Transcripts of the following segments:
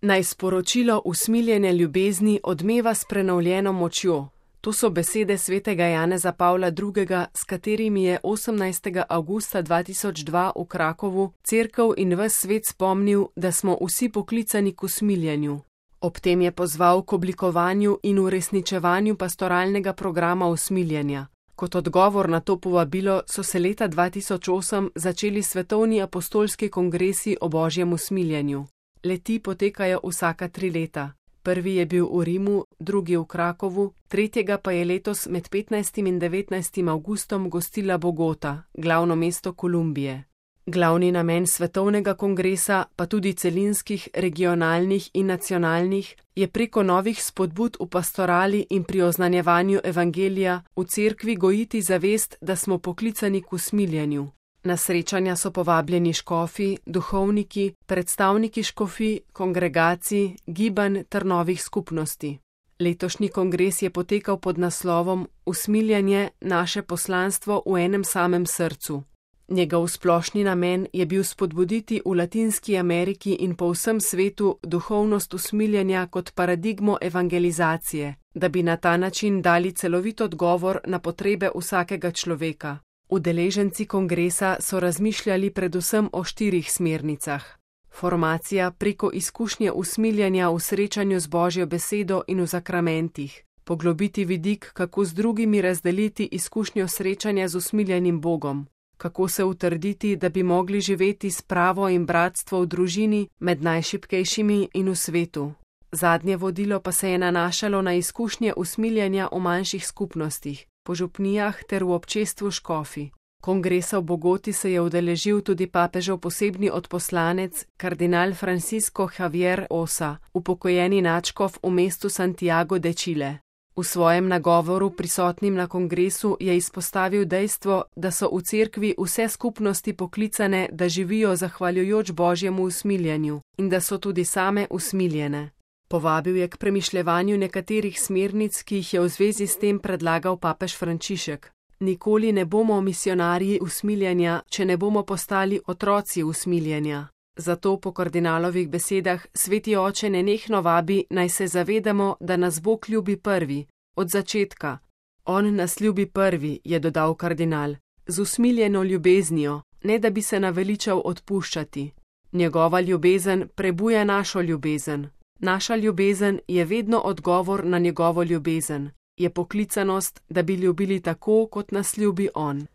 Naj sporočilo usmiljene ljubezni odmeva s prenovljeno močjo. To so besede svetega Janeza Pavla II., s katerimi je 18. avgusta 2002 v Krakovu cerkev in ves svet spomnil, da smo vsi poklicani k usmiljenju. Ob tem je pozval k oblikovanju in uresničevanju pastoralnega programa usmiljenja. Kot odgovor na to povabilo so se leta 2008 začeli svetovni apostolski kongresi o božjem usmiljenju. Le-ti potekajo vsaka 3 leta. Prvi je bil v Rimu, drugi v Krakovu, tretjega pa je letos med 15. in 19. avgustom gostila Bogota, glavno mesto Kolumbije. Glavni namen svetovnega kongresa, pa tudi celinskih, regionalnih in nacionalnih, je preko novih spodbud v pastorali in pri oznanjevanju evangelija v cerkvi gojiti zavest, da smo poklicani k usmiljenju. Na srečanja so povabljeni škofi, duhovniki, predstavniki škofij, kongregacij, gibanj ter novih skupnosti. Letošnji kongres je potekal pod naslovom Usmiljanje, naše poslanstvo v enem samem srcu. Njegov splošni namen je bil spodbuditi v Latinski Ameriki in po vsem svetu duhovnost usmiljanja kot paradigmo evangelizacije, da bi na ta način dali celovit odgovor na potrebe vsakega človeka. Udeleženci kongresa so razmišljali predvsem o 4 smernicah. Formacija preko izkušnje usmiljanja v srečanju z Božjo besedo in v zakramentih. Poglobiti vidik, kako z drugimi razdeliti izkušnjo srečanja z usmiljenim Bogom. Kako se utrditi, da bi mogli živeti spravo in bratstvo v družini med najšibkejšimi in v svetu. Zadnje vodilo pa se je nanašalo na izkušnje usmiljenja v manjših skupnostih, po župnijah ter v občestvu škofi. Kongresa v Bogoti se je udeležil tudi papežev posebni odposlanec, kardinal Francisco Javier Osa, upokojeni nadškof v mestu Santiago de Chile. V svojem nagovoru prisotnim na kongresu je izpostavil dejstvo, da so v cerkvi vse skupnosti poklicane, da živijo zahvaljujoč Božjemu usmiljenju in da so tudi same usmiljene. Povabil je k premišljevanju nekaterih smernic, ki jih je v zvezi s tem predlagal papež Frančišek. Nikoli ne bomo misionarji usmiljenja, če ne bomo postali otroci usmiljenja. Zato po kardinalovih besedah sveti oče nenehno vabi, naj se zavedamo, da nas Bog ljubi prvi, od začetka. On nas ljubi prvi, je dodal kardinal, z usmiljeno ljubeznijo, ne da bi se naveličal odpuščati. Njegova ljubezen prebuja našo ljubezen. Naša ljubezen je vedno odgovor na njegovo ljubezen. Je poklicanost, da bi ljubili tako, kot nas ljubi on.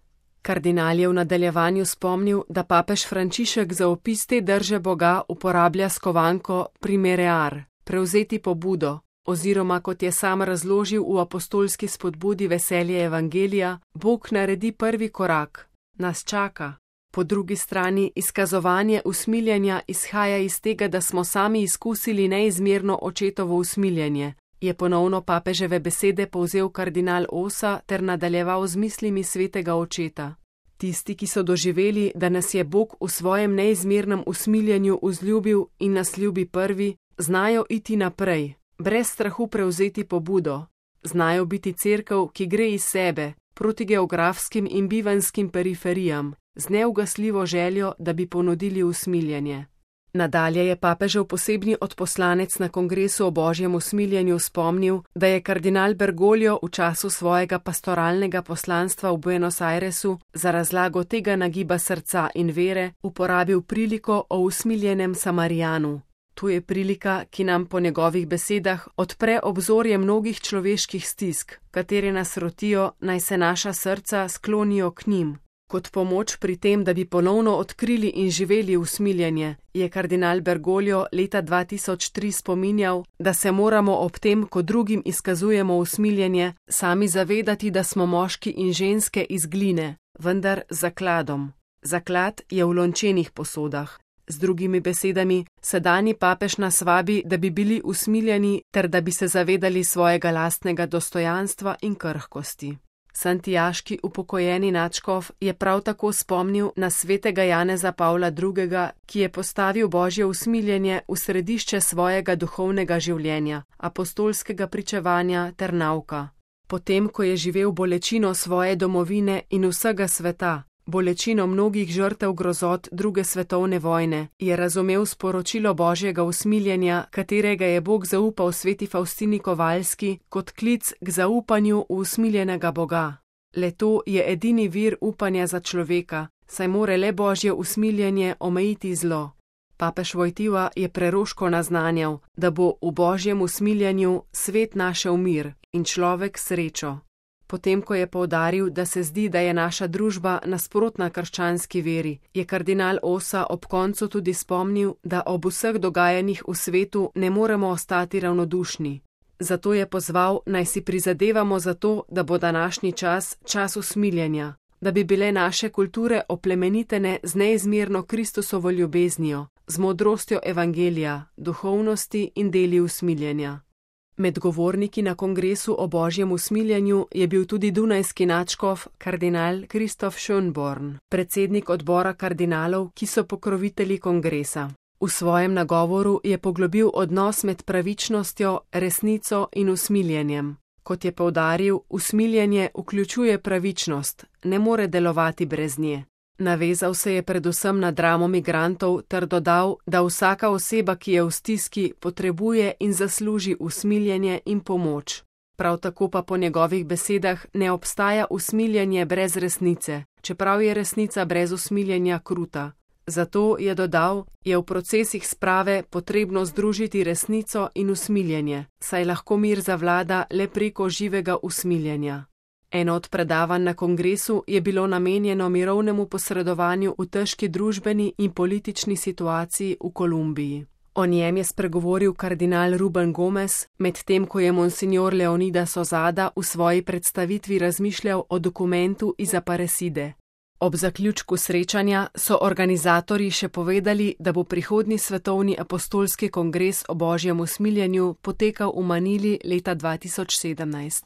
Kardinal je v nadaljevanju spomnil, da papež Frančišek za opis te drže Boga uporablja skovanko primerear, prevzeti pobudo, oziroma kot je sam razložil v apostolski spodbudi Veselje evangelija, Bog naredi prvi korak, nas čaka. Po drugi strani izkazovanje usmiljenja izhaja iz tega, da smo sami izkusili neizmerno očetovo usmiljenje. Je ponovno papeževe besede povzel kardinal Osa ter nadaljeval z mislimi svetega očeta. Tisti, ki so doživeli, da nas je Bog v svojem neizmernem usmiljenju vzljubil in nas ljubi prvi, znajo iti naprej, brez strahu prevzeti pobudo. Znajo biti cerkev, ki gre iz sebe, proti geografskim in bivanskim periferijam, z neugasljivo željo, da bi ponudili usmiljenje. Nadalje je papežev posebni odposlanec na kongresu o božjem usmiljenju spomnil, da je kardinal Bergoglio v času svojega pastoralnega poslanstva v Buenos Airesu za razlago tega nagiba srca in vere uporabil priliko o usmiljenem Samarijanu. To je prilika, ki nam po njegovih besedah odpre obzorje mnogih človeških stisk, katere nas rotijo, naj se naša srca sklonijo k njim. Kot pomoč pri tem, da bi ponovno odkrili in živeli usmiljenje, je kardinal Bergoglio leta 2003 spominjal, da se moramo ob tem, ko drugim izkazujemo usmiljenje, sami zavedati, da smo moški in ženske iz gline, vendar z zakladom. Zaklad je v lončenih posodah. Z drugimi besedami, sedanji papež nas vabi, da bi bili usmiljeni ter da bi se zavedali svojega lastnega dostojanstva in krhkosti. Santiaški upokojeni nadškof je prav tako spomnil na svetega Janeza Pavla II., ki je postavil božje usmiljenje v središče svojega duhovnega življenja, apostolskega pričevanja ter nauka. Potem, ko je živel bolečino svoje domovine in vsega sveta, bolečino mnogih žrtev grozot druge svetovne vojne, je razumel sporočilo Božjega usmiljenja, katerega je Bog zaupal sveti Faustini Kovalski, kot klic k zaupanju v usmiljenega Boga. Le to je edini vir upanja za človeka, saj more le Božje usmiljenje omejiti zlo. Papež Wojtyła je preroško naznanjal, da bo v Božjem usmiljenju svet našel mir in človek srečo. Potem, ko je poudaril, da se zdi, da je naša družba nasprotna krščanski veri, je kardinal Osa ob koncu tudi spomnil, da ob vseh dogajanjih v svetu ne moremo ostati ravnodušni. Zato je pozval, naj si prizadevamo za to, da bo današnji čas čas usmiljenja, da bi bile naše kulture oplemenitene z neizmerno Kristusovo ljubeznijo, z modrostjo evangelija, duhovnosti in deli usmiljenja. Med govorniki na kongresu o Božjem usmiljenju je bil tudi dunajski nadškof kardinal Kristof Schönborn, predsednik odbora kardinalov, ki so pokrovitelji kongresa. V svojem nagovoru je poglobil odnos med pravičnostjo, resnico in usmiljenjem. Kot je poudaril, usmiljenje vključuje pravičnost, ne more delovati brez nje. Navezal se je predvsem na dramo migrantov ter dodal, da vsaka oseba, ki je v stiski, potrebuje in zasluži usmiljenje in pomoč. Prav tako pa po njegovih besedah ne obstaja usmiljenje brez resnice, čeprav je resnica brez usmiljenja kruta. Zato, je dodal, je v procesih sprave potrebno združiti resnico in usmiljenje, saj lahko mir zavlada le preko živega usmiljenja. Eno od predavanj na kongresu je bilo namenjeno mirovnemu posredovanju v težki družbeni in politični situaciji v Kolumbiji. O njem je spregovoril kardinal Ruben Gomez, medtem ko je monsignor Leonidas Ozada v svoji predstavitvi razmišljal o dokumentu iz Aparecide. Ob zaključku srečanja so organizatorji še povedali, da bo prihodnji svetovni apostolski kongres o Božjem usmiljenju potekal v Manili leta 2017.